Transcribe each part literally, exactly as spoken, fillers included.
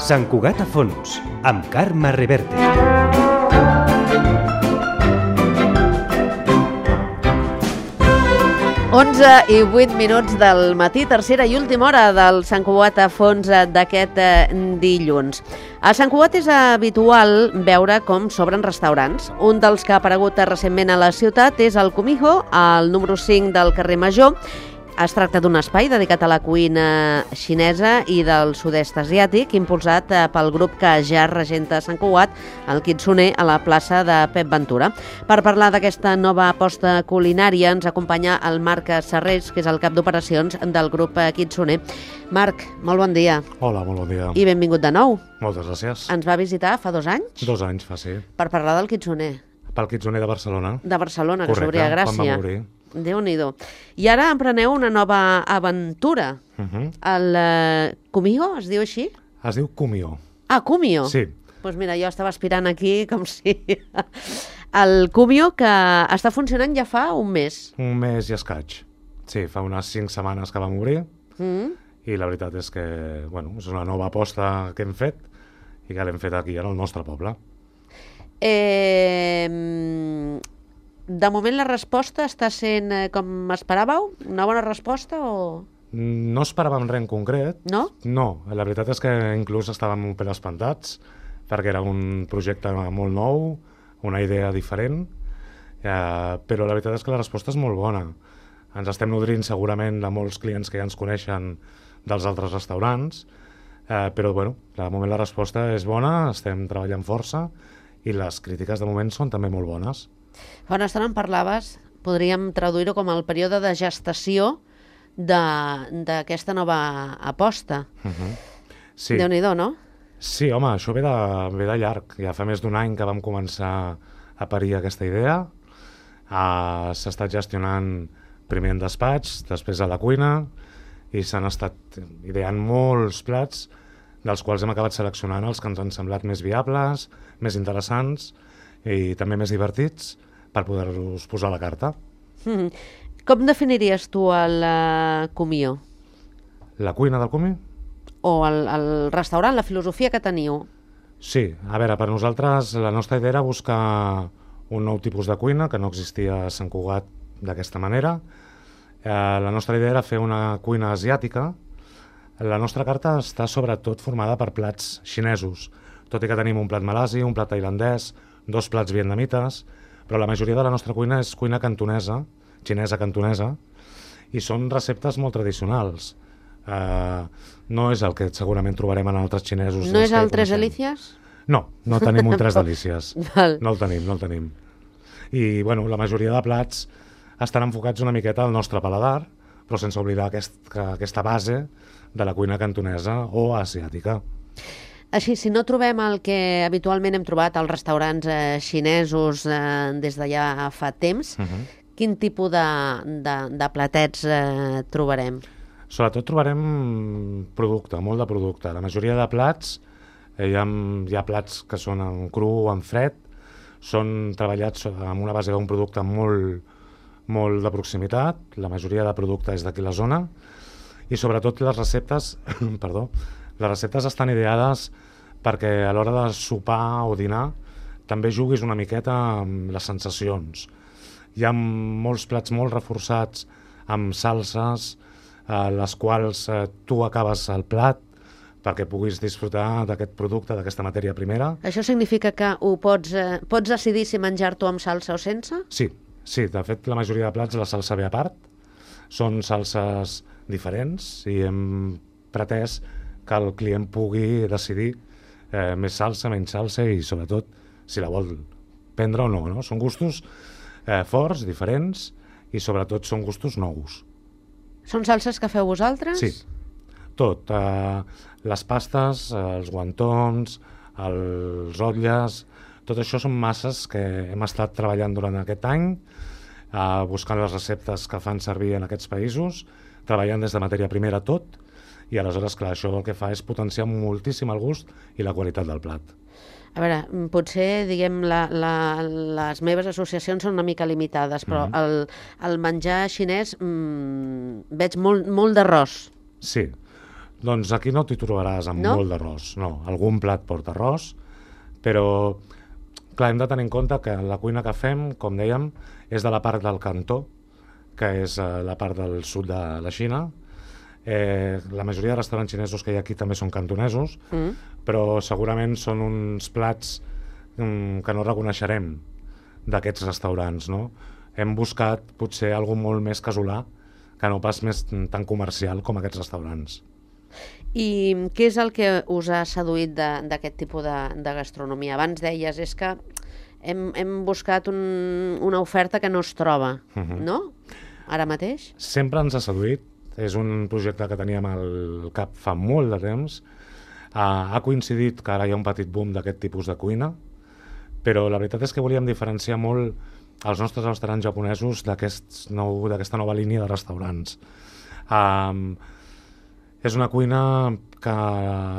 Sant Cugat a fons, amb Carme Reverte. onze i vuit minuts del matí, tercera i última hora del Sant Cugat a fons d'aquest dilluns. A Sant Cugat és habitual veure com s'obren restaurants. Un dels que ha aparegut recentment a la ciutat és el Kumiho, al número cinc del carrer Major. Es tracta d'un espai dedicat a la cuina xinesa i del sud-est asiàtic, impulsat pel grup que ja regenta Sant Cugat, el Kitsune, a la plaça de Pep Ventura. Per parlar d'aquesta nova aposta culinària ens acompanya el Marc Serrés, que és el cap d'operacions del grup Kitsune. Marc, molt bon dia. Hola, molt bon dia. I benvingut de nou. Moltes gràcies. Ens va visitar fa dos anys? Dos anys fa, sí. Per parlar del Kitsune. Pel Kitsune de Barcelona. De Barcelona, que Correcte, s'obria a Gràcia. quan va morir. Déu-n'hi-do. I ara empreneu una nova aventura. Uh -huh. El uh, Kumiho, es diu així? Es diu Kumiho. Ah, Kumiho? Sí. Doncs pues mira, jo estava aspirant aquí com si... El Kumiho, que està funcionant ja fa un mes. Un mes i escaig. Sí, fa unes cinc setmanes que va morir. Mm. I la veritat és que, bueno, és una nova aposta que hem fet i que l'hem fet aquí, en el nostre poble. Eh... De moment la resposta està sent eh, com esperàveu? Una bona resposta o...? No esperàvem res en concret. No? No, la veritat és que inclús estàvem un pèl espantats perquè era un projecte molt nou, una idea diferent, eh, però la veritat és que la resposta és molt bona. Ens estem nodrint segurament de molts clients que ja ens coneixen dels altres restaurants, eh, però bueno, de moment la resposta és bona, estem treballant força i les crítiques de moment són també molt bones. Fa una estona en parlaves, podríem traduir-ho com el període de gestació d'aquesta nova aposta. Uh -huh. Sí. Déu-n'hi-do, no? Sí, home, això ve de, ve de llarg. Ja fa més d'un any que vam començar a parir aquesta idea. Uh, S'ha estat gestionant primer en despatx, després a la cuina, i s'han estat ideant molts plats, dels quals hem acabat seleccionant els que ens han semblat més viables, més interessants i també més divertits per poder-los posar a la carta. Mm. Com definiries tu el uh, Kumiho? La cuina del Kumi? O el, el restaurant, la filosofia que teniu? Sí, a veure, per nosaltres la nostra idea era buscar un nou tipus de cuina que no existia a Sant Cugat d'aquesta manera. Eh, la nostra idea era fer una cuina asiàtica. La nostra carta està sobretot formada per plats xinesos, tot i que tenim un plat malasi, un plat tailandès, dos plats vietnamites, però la majoria de la nostra cuina és cuina cantonesa, xinesa-cantonesa, i són receptes molt tradicionals. Uh, no és el que segurament trobarem en altres xinesos. No és el Tres Delícies? No, no tenim un Tres Delícies. Val. No el tenim, no el tenim. I bueno, la majoria de plats estan enfocats una miqueta al nostre paladar, però sense oblidar aquest, que, aquesta base de la cuina cantonesa o asiàtica. Així, si no trobem el que habitualment hem trobat als restaurants eh, xinesos eh, des de ja fa temps, uh-huh. quin tipus de, de, de platets eh, trobarem? Sobretot trobarem producte, molt de producte. La majoria de plats, eh, hi, ha, hi ha plats que són en cru o en fred, són treballats amb una base d'un producte molt, molt de proximitat, la majoria de producte és d'aquí la zona, i sobretot les receptes, perdó, les receptes estan ideades perquè a l'hora de sopar o dinar també juguis una miqueta amb les sensacions. Hi ha molts plats molt reforçats amb salses, eh, les quals eh, tu acabes el plat perquè puguis disfrutar d'aquest producte, d'aquesta matèria primera. Això significa que ho pots, eh, pots decidir si menjar-t'ho amb salsa o sense? Sí, sí, de fet la majoria de plats la salsa ve a part, són salses diferents i hem pretès que el client pugui decidir eh, més salsa, menys salsa i sobretot si la vol prendre o no, no? Són gustos eh, forts, diferents i sobretot són gustos nous. Són salses que feu vosaltres? Sí, tot. Eh, les pastes, eh, els guantons, els rotlles, tot això són masses que hem estat treballant durant aquest any, eh, buscant les receptes que fan servir en aquests països, treballant des de matèria primera tot, i aleshores, clar, això el que fa és potenciar moltíssim el gust i la qualitat del plat. A veure, potser, diguem, la, la, les meves associacions són una mica limitades, però mm-hmm. el, el menjar xinès mmm, veig molt, molt d'arròs. Sí, Doncs aquí no t'hi trobaràs amb No? molt d'arròs, no. Algun plat porta arròs, però clar, hem de tenir en compte que la cuina que fem, com dèiem, és de la part del Cantó, que és eh, la part del sud de la Xina. Eh, la majoria de restaurants xinesos que hi ha aquí també són cantonesos, Mm. però segurament són uns plats mm, que no reconeixerem d'aquests restaurants, no? Hem buscat potser alguna molt més casolà, que no pas més tan comercial com aquests restaurants. I què és el que us ha seduït de- d'aquest tipus de, de gastronomia? Abans deies, és que hem, hem buscat un, una oferta que no es troba, Mhm. no? Ara mateix? Sempre ens ha seduït, és un projecte que teníem al cap fa molt de temps. Uh, ha coincidit que ara hi ha un petit boom d'aquest tipus de cuina, però la veritat és que volíem diferenciar molt els nostres restaurants japonesos d'aquest nou, d'aquesta nova línia de restaurants. Um, és una cuina que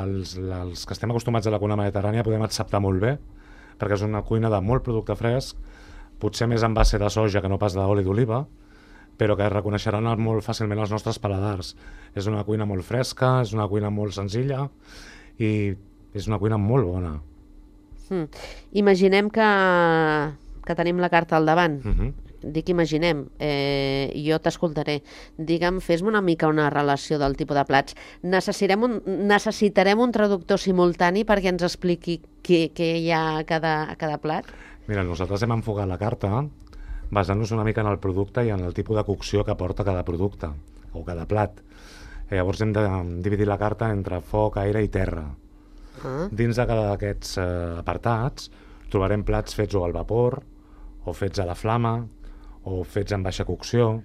els, els que estem acostumats a la cuina mediterrània podem acceptar molt bé, perquè és una cuina de molt producte fresc, potser més en base de soja que no pas d'oli d'oliva, però que reconeixeran molt fàcilment els nostres paladars. És una cuina molt fresca, és una cuina molt senzilla i és una cuina molt bona. Mm. Imaginem que, que tenim la carta al davant. Uh-huh. Dic imaginem, eh, jo t'escoltaré. Digue'm, fes-me una mica una relació del tipus de plats. Necessitarem un, necessitarem un traductor simultani perquè ens expliqui què, què hi ha a cada, a cada plat? Mira, nosaltres hem enfocat la carta basant-nos una mica en el producte i en el tipus de cocció que porta cada producte o cada plat. Eh, llavors hem de dividir la carta entre foc, aire i terra. Ah. Dins de cada d'aquests eh, apartats trobarem plats fets o al vapor, o fets a la flama, o fets en baixa cocció,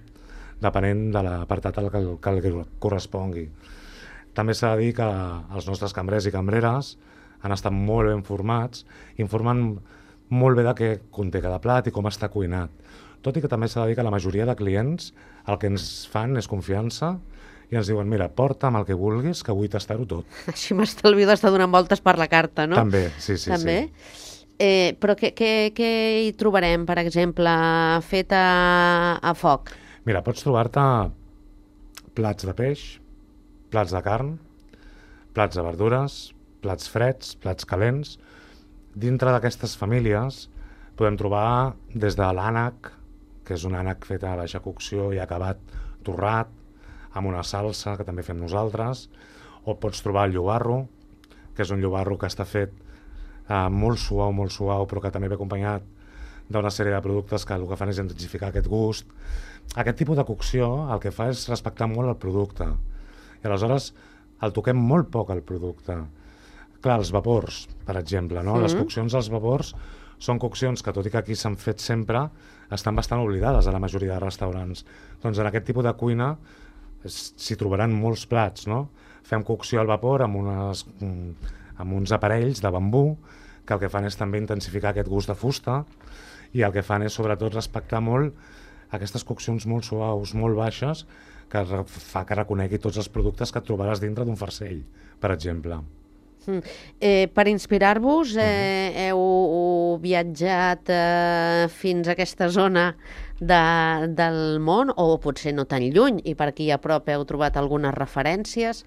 depenent de l'apartat al que, que el correspongui. També s'ha de dir que els nostres cambrers i cambreres han estat molt ben formats, informant molt bé de què conté cada plat i com està cuinat. Tot i que també s'ha de dir que la majoria de clients el que ens fan és confiança i ens diuen, mira, porta'm el que vulguis, que vull tastar-ho tot. Així m'estalvio d'estar donant voltes per la carta, no? També, sí, sí. També? Sí. Eh, però què, què, què hi trobarem, per exemple, fet a, a foc? Mira, pots trobar-te plats de peix, plats de carn, plats de verdures, plats freds, plats calents. Dintre d'aquestes famílies podem trobar des de l'ànec, que és un ànec fet a baixa cocció i acabat torrat, amb una salsa que també fem nosaltres, o pots trobar el llobarro, que és un llobarro que està fet eh, molt suau, molt suau, però que també ve acompanyat d'una sèrie de productes que el que fan és intensificar aquest gust. Aquest tipus de cocció el que fa és respectar molt el producte. I aleshores el toquem molt poc al producte. Clar, els vapors, per exemple, no? Mm. Les coccions als vapors són coccions que, tot i que aquí s'han fet sempre, estan bastant oblidades a la majoria de restaurants. Doncs en aquest tipus de cuina s'hi trobaran molts plats, no? Fem cocció al vapor amb, unes, amb uns aparells de bambú que el que fan és també intensificar aquest gust de fusta i el que fan és sobretot respectar molt aquestes coccions molt suaus, molt baixes, que fa que reconegui tots els productes que et trobaràs dintre d'un farcell, per exemple. Mm. Eh, per inspirar-vos, eh, heu viatjat eh, fins a aquesta zona de, del món, o potser no tan lluny, i per aquí a prop heu trobat algunes referències.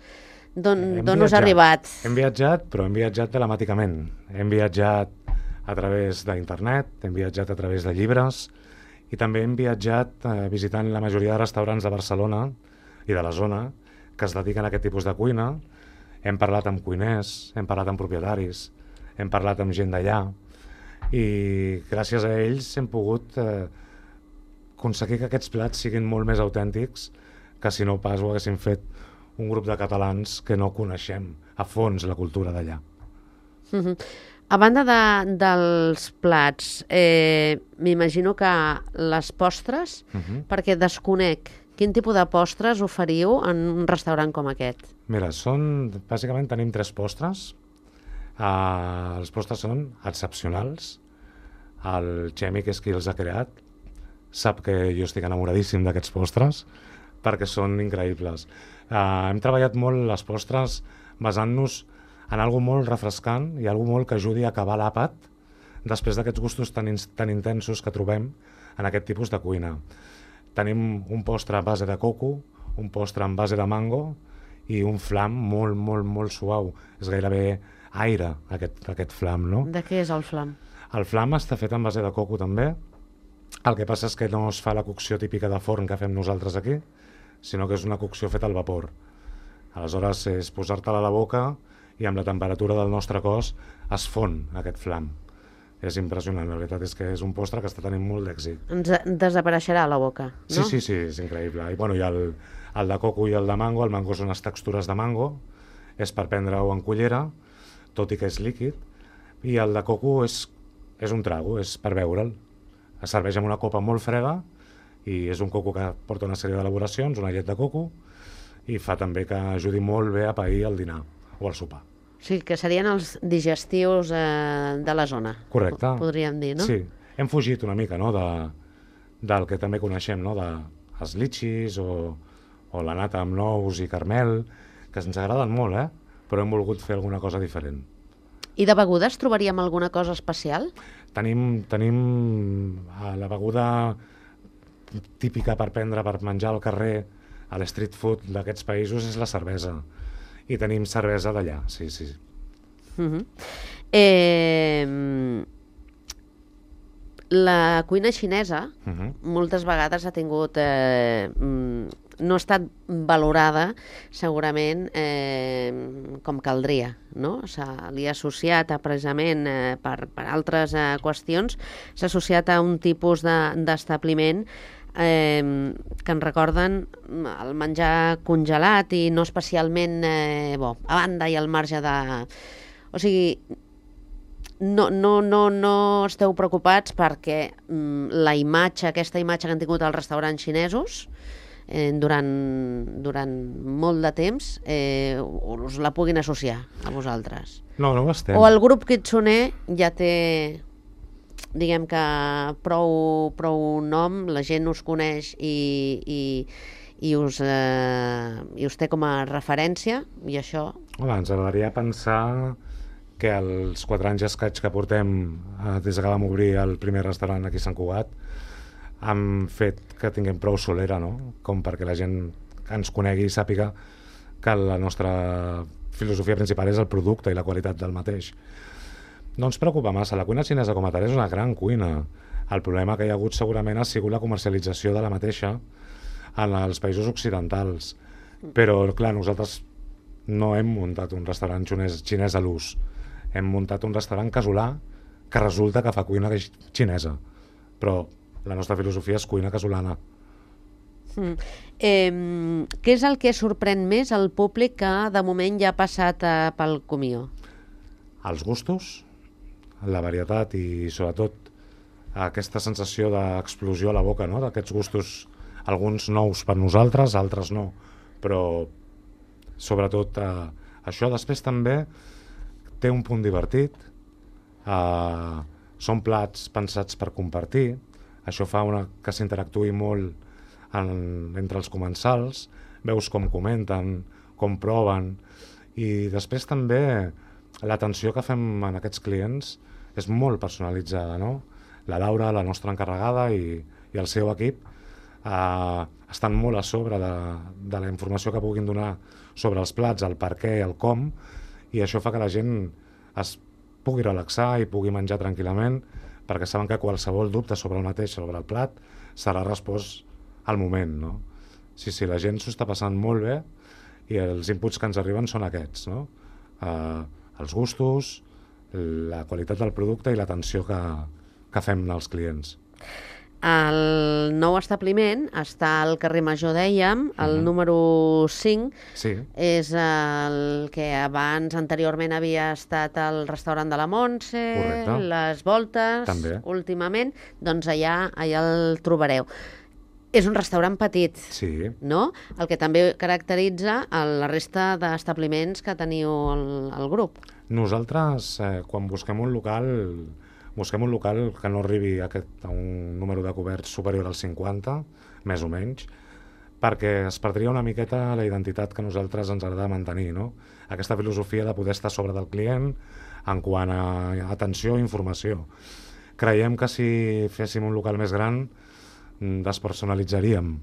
D'on Hem d'on us ha viatjat. arribat? Hem viatjat, però hem viatjat telemàticament. Hem viatjat a través d'internet, hem viatjat a través de llibres i també hem viatjat eh, visitant la majoria de restaurants de Barcelona i de la zona que es dediquen a aquest tipus de cuina. Hem parlat amb cuiners, hem parlat amb propietaris, hem parlat amb gent d'allà i gràcies a ells hem pogut eh, aconseguir que aquests plats siguin molt més autèntics que si no pas ho haguéssim fet un grup de catalans que no coneixem a fons la cultura d'allà. Mhm. A banda de, dels plats, eh, m'imagino que les postres, Uh-huh. perquè desconec quin tipus de postres oferiu en un restaurant com aquest. Mira, són, bàsicament tenim tres postres. Uh, els postres són excepcionals. El Xemi, que és qui els ha creat, sap que jo estic enamoradíssim d'aquests postres perquè són increïbles. Uh, hem treballat molt les postres basant-nos en algo molt refrescant i algo molt que ajudi a acabar l'àpat després d'aquests gustos tan, in tan intensos que trobem en aquest tipus de cuina. Tenim un postre a base de coco, un postre en base de mango i un flam molt, molt, molt suau. És gairebé aire, aquest, aquest flam, no? De què és el flam? El flam està fet en base de coco també. El que passa és que no es fa la cocció típica de forn que fem nosaltres aquí, sinó que és una cocció feta al vapor. Aleshores és posar-te-la a la boca i amb la temperatura del nostre cos es fon aquest flam. És impressionant, la veritat és que és un postre que està tenint molt d'èxit. Ens desapareixerà a la boca, no? Sí, sí, sí, és increïble. I, bueno, i el, el de coco i el de mango, el mango són les textures de mango, és per prendre-ho en cullera, tot i que és líquid, i el de coco és, és un trago, és per beure'l. Es serveix amb una copa molt freda i és un coco que porta una sèrie d'elaboracions, una llet de coco, i fa també que ajudi molt bé a pair el dinar o el sopar. Sí, que serien els digestius eh, de la zona. Correcte. Podríem dir, no? Sí, hem fugit una mica, no?, de, del que també coneixem, no?, de els litxis o, o la nata amb nous i carmel, que ens agraden molt, eh?, però hem volgut fer alguna cosa diferent. I de begudes trobaríem alguna cosa especial? Tenim, tenim eh, la beguda típica per prendre, per menjar al carrer, a l'street food d'aquests països, és la cervesa. I tenim cervesa d'allà, sí, sí. Uh-huh. eh, la cuina xinesa uh-huh. moltes vegades ha tingut... Eh, no ha estat valorada segurament eh, com caldria, no? Se li ha associat a, precisament eh, per, per altres eh, qüestions, s'ha associat a un tipus d'establiment eh, que ens recorden el menjar congelat i no especialment eh, bo, a banda i al marge de... O sigui, no, no, no, no esteu preocupats perquè mm, la imatge, aquesta imatge que han tingut els restaurants xinesos eh, durant, durant molt de temps eh, us la puguin associar a vosaltres. No, no ho estem. O el grup Kitsune ja té, diguem que prou, prou nom, la gent us coneix i, i, i, us, eh, i us té com a referència, i això... Home, ens agradaria pensar que els quatre anys escaig que portem eh, des que vam obrir el primer restaurant aquí a Sant Cugat han fet que tinguem prou solera, no?, com perquè la gent que ens conegui i sàpiga que la nostra filosofia principal és el producte i la qualitat del mateix. No ens preocupa massa, la cuina xinesa com a tal és una gran cuina. El problema que hi ha hagut segurament ha sigut la comercialització de la mateixa en els països occidentals. Però, clar, nosaltres no hem muntat un restaurant xinès, xinès a l'ús. Hem muntat un restaurant casolà que resulta que fa cuina xinesa. Però la nostra filosofia és cuina casolana. Mm. Eh, què és el que sorprèn més al públic que de moment ja ha passat eh, pel Comió? Els gustos, la varietat i sobretot aquesta sensació d'explosió a la boca, no?, d'aquests gustos, alguns nous per nosaltres, altres no, però sobretot eh, això. Després també té un punt divertit, eh, són plats pensats per compartir, això fa una, que s'interactuï molt en, entre els comensals, veus com comenten, com proven, i després també l'atenció que fem en aquests clients és molt personalitzada, no? La Laura, la nostra encarregada, i, i el seu equip eh, estan molt a sobre de, de la informació que puguin donar sobre els plats, el per què, el com, i això fa que la gent es pugui relaxar i pugui menjar tranquil·lament, perquè saben que qualsevol dubte sobre el mateix, sobre el plat, serà respost al moment, no? Sí, sí, la gent s'ho està passant molt bé i els inputs que ens arriben són aquests, no? Eh, els gustos, la qualitat del producte i l'atenció que, que fem als clients. El nou establiment està al carrer Major, dèiem, el uh-huh. número cinc, sí. És el que abans, anteriorment, havia estat el restaurant de la Montse, correcte. Les Voltes, també. Últimament, doncs allà, allà el trobareu. És un restaurant petit, sí. no? El que també caracteritza la resta d'establiments que teniu al, al grup. Nosaltres, eh, quan busquem un local... Busquem un local que no arribi a, aquest, a un número de coberts superior als cinquanta, més o menys, perquè es perdria una miqueta la identitat que nosaltres ens agrada mantenir, no? Aquesta filosofia de poder estar sobre del client en quant a atenció i informació. Creiem que si féssim un local més gran despersonalitzaríem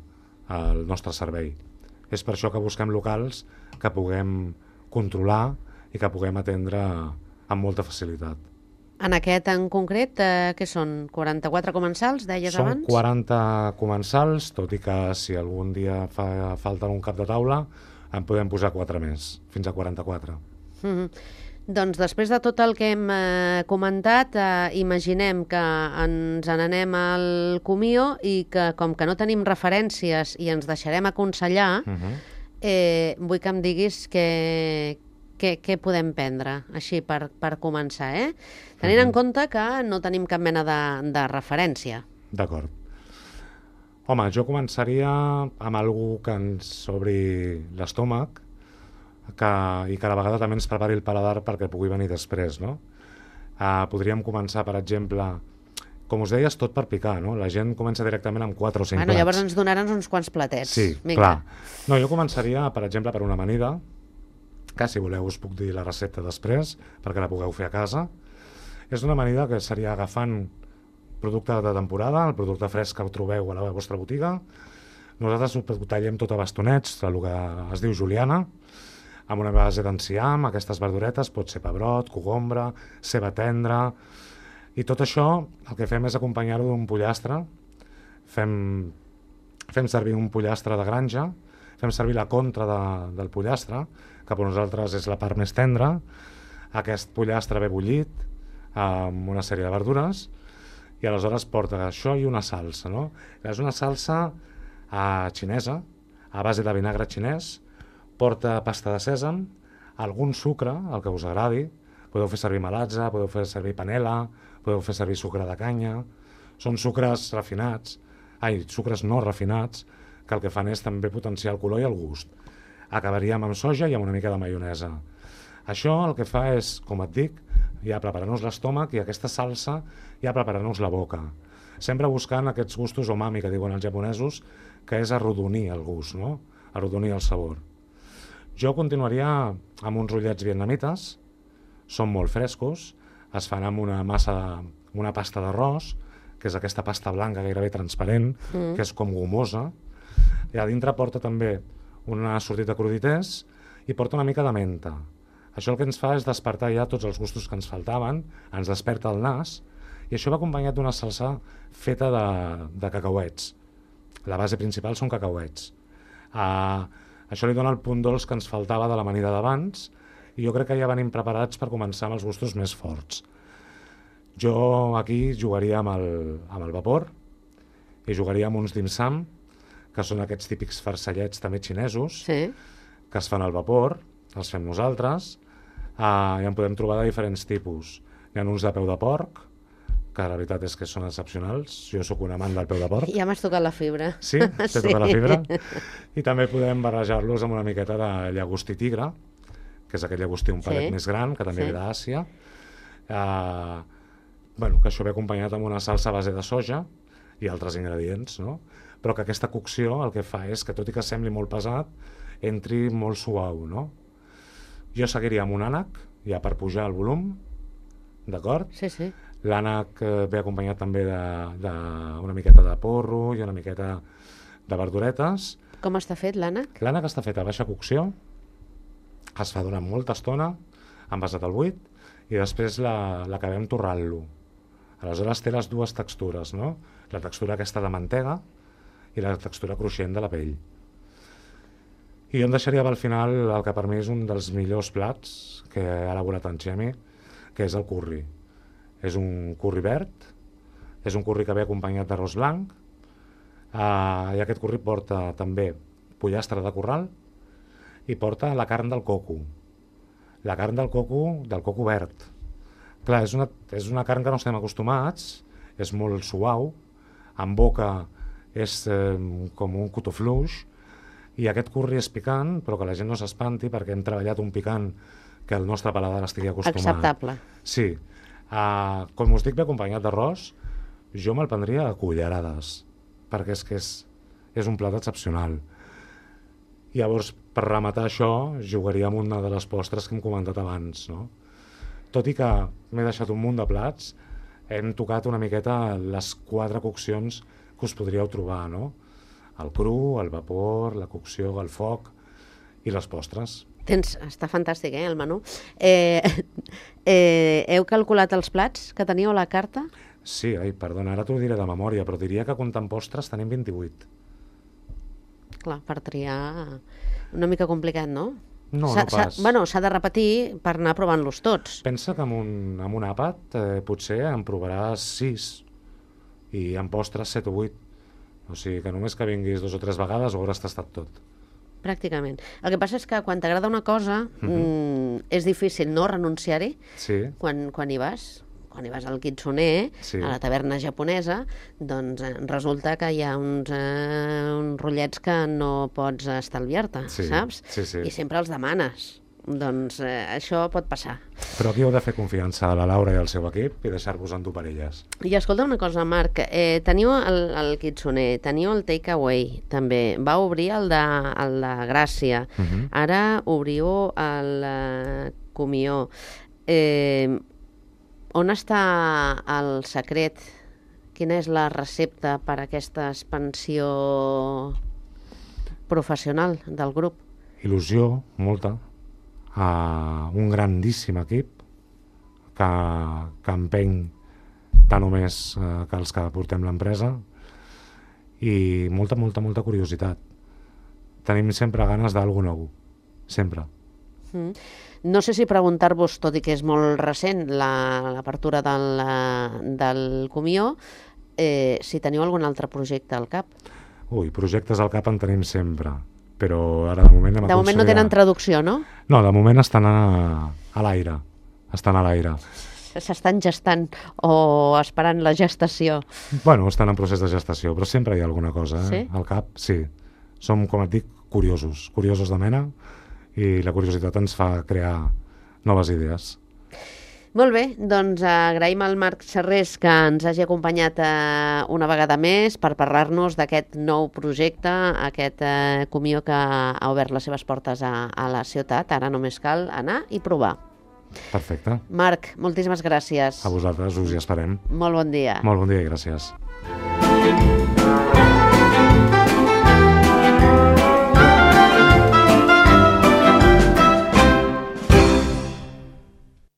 el nostre servei. És per això que busquem locals que puguem controlar i que puguem atendre amb molta facilitat. En aquest en concret, eh, què són? quaranta-quatre comensals, deies Són abans? quaranta comensals, tot i que si algun dia fa falta un cap de taula, en podem posar quatre més, fins a quaranta-quatre. Mm-hmm. Doncs després de tot el que hem eh, comentat, eh, imaginem que ens n'anem al Comio i que com que no tenim referències i ens deixarem aconsellar, Uh-huh. eh, vull que em diguis que, que, què podem prendre, així per, per començar, eh? Tenint en compte que no tenim cap mena de, de referència. D'acord. Home, jo començaria amb algú que ens obri l'estómac que, i que a la vegada també ens prepari el paladar perquè pugui venir després, no? Uh, podríem començar, per exemple, com us deies, tot per picar, no? La gent comença directament amb quatre o cinc Bueno, plats. llavors ens donaran uns quants platets. Sí, Vinga. clar. No, jo començaria, per exemple, per una amanida, que si voleu us puc dir la recepta després, perquè la pugueu fer a casa. És una amanida que seria agafant producte de temporada, el producte fresc que trobeu a la vostra botiga. Nosaltres ho tallem tot a bastonets, el que es diu juliana, amb una base d'enciam, aquestes verduretes, pot ser pebrot, cogombra, ceba tendra, i tot això el que fem és acompanyar-ho d'un pollastre. Fem, fem servir un pollastre de granja, fem servir la contra de, del pollastre, que per nosaltres és la part més tendra. Aquest pollastre ve bullit amb una sèrie de verdures, i aleshores porta això i una salsa, no? És una salsa eh, xinesa, a base de vinagre xinès, porta pasta de sèsam, algun sucre, el que us agradi, podeu fer servir melatge, podeu fer servir panela, podeu fer servir sucre de canya, són sucres refinats, ai, sucres no refinats, que el que fan és també potenciar el color i el gust. Acabaríem amb soja i amb una mica de maionesa. Això el que fa és, com et dic, ja preparar-nos l'estómac i aquesta salsa ja preparar-nos la boca. Sempre buscant aquests gustos umami que diuen els japonesos, que és arrodonir el gust, no? Arrodonir el sabor. Jo continuaria amb uns rotllets vietnamites, són molt frescos, es fan amb una massa, de, una pasta d'arròs, que és aquesta pasta blanca gairebé transparent, mm. que és com gomosa, i a dintre porta també una sortida de crudités i porta una mica de menta. Això el que ens fa és despertar ja tots els gustos que ens faltaven, ens desperta el nas, i això va acompanyat d'una salsa feta de, de cacauets. La base principal són cacauets. Uh, això li dona el punt dolç que ens faltava de l'amanida d'abans, i jo crec que ja venim preparats per començar amb els gustos més forts. Jo aquí jugaria amb el, amb el vapor, i jugaria amb uns dim sum, que són aquests típics farcellets també xinesos, Sí. que es fan al vapor, els fem nosaltres, uh, i en podem trobar de diferents tipus. Hi ha uns de peu de porc, que la veritat és que són excepcionals. Jo sóc un amant del peu de porc. Ja m'has tocat la fibra. Sí? T'he Sí. tocat la fibra? I també podem barrejar-los amb una miqueta de llagostí tigre, que és aquell llagostí un palet Sí. més gran, que també Sí. ve d'Àsia. Uh, bueno, que això ve acompanyat amb una salsa a base de soja i altres ingredients, no? Però que aquesta cocció el que fa és que, tot i que sembli molt pesat, entri molt suau, no? Jo seguiria amb un ànec, ja per pujar el volum, d'acord? Sí, sí. L'ànec eh, ve acompanyat també d'una miqueta de porro i una miqueta de verduretes. Com està fet l'ànec? L'ànec està fet a baixa cocció, es fa durant molta estona, envasat al buit, i després la- l'acabem torrant-lo. Aleshores té les dues textures, no? La textura aquesta de mantega i la textura cruixent de la pell. I jo em deixaria pel final el que per mi és un dels millors plats que ha elaborat en Xemi, que és el curri. És un curri verd, és un curri que ve acompanyat d'arròs blanc, uh, i aquest curri porta també pollastre de corral i porta la carn del coco. La carn del coco, del coco verd. Clar, és una, és una carn que no estem acostumats, és molt suau, en boca és eh, com un cotó fluix, i aquest curri és picant, però que la gent no s'espanti perquè hem treballat un picant que el nostre paladar estigui acostumat. Acceptable. Sí. Uh, com us dic, ve acompanyat d'arròs, jo me'l prendria a cullerades, perquè és que és, és un plat excepcional. Llavors, per rematar això, jugaria amb una de les postres que hem comentat abans, no? Tot i que m'he deixat un munt de plats, hem tocat una miqueta les quatre coccions que us podríeu trobar, no? el cru, el vapor, la cocció, el foc i les postres. Tens, està fantàstic, eh, el menú. Eh, eh, heu calculat els plats que teníeu a la carta? Sí, ai, perdona, ara t'ho diré de memòria, però diria que comptant postres tenim vint-i-vuit. Clar, per triar una mica complicat, no? No, S'ha- no pas. s'ha- Bueno, s'ha de repetir per anar provant-los tots. Pensa que amb un, amb un àpat eh, potser en provaràs sis i en postres set o vuit. O sigui que només que vinguis dos o tres vegades ho hauràs tastat tot. Pràcticament. El que passa és que quan t'agrada una cosa Mhm. mm, és difícil no renunciar-hi Sí, quan, quan hi vas. Quan hi vas al Kitsune, Sí. a la taverna japonesa, doncs eh, resulta que hi ha uns, eh, uns rotllets que no pots estalviar-te, Sí, saps? sí, sí. I sempre els demanes. Doncs eh, això pot passar. però aquí heu de fer confiança a la Laura i al seu equip i deixar-vos endur per elles. I escolta una cosa, Marc, eh, teniu el, el Kitsune, teniu el Takeaway, també. Va obrir el de, el de Gràcia. Mhm. Ara obriu el eh, Comió. Eh, on està el secret? Quina és la recepta per a aquesta expansió professional del grup? Il·lusió, molta, a un grandíssim equip que, que empeny tant o més eh, que els que portem l'empresa i molta, molta, molta curiositat. Tenim sempre ganes d'algú nou, sempre. Mm. No sé si preguntar-vos, tot i que és molt recent la- l'apertura del, eh, del Comió, eh, si teniu algun altre projecte al cap. Ui, projectes al cap en tenim sempre, però ara de moment... hem De moment no aconseguit- tenen traducció, no? No, de moment estan a, a l'aire, estan a l'aire. S'estan gestant o esperant la gestació. Bueno, estan en procés de gestació, però sempre hi ha alguna cosa, eh? Sí? Al cap, sí. Som, com et dic, curiosos, curiosos de mena, i la curiositat ens fa crear noves idees. Molt bé, doncs agraïm al Marc Serrés que ens hagi acompanyat eh, una vegada més per parlar-nos d'aquest nou projecte, aquest eh, Comió que ha obert les seves portes a, a la ciutat. Ara només cal anar i provar. Perfecte. Marc, moltíssimes gràcies. A vosaltres us hi esperem. Molt bon dia. Molt bon dia i gràcies.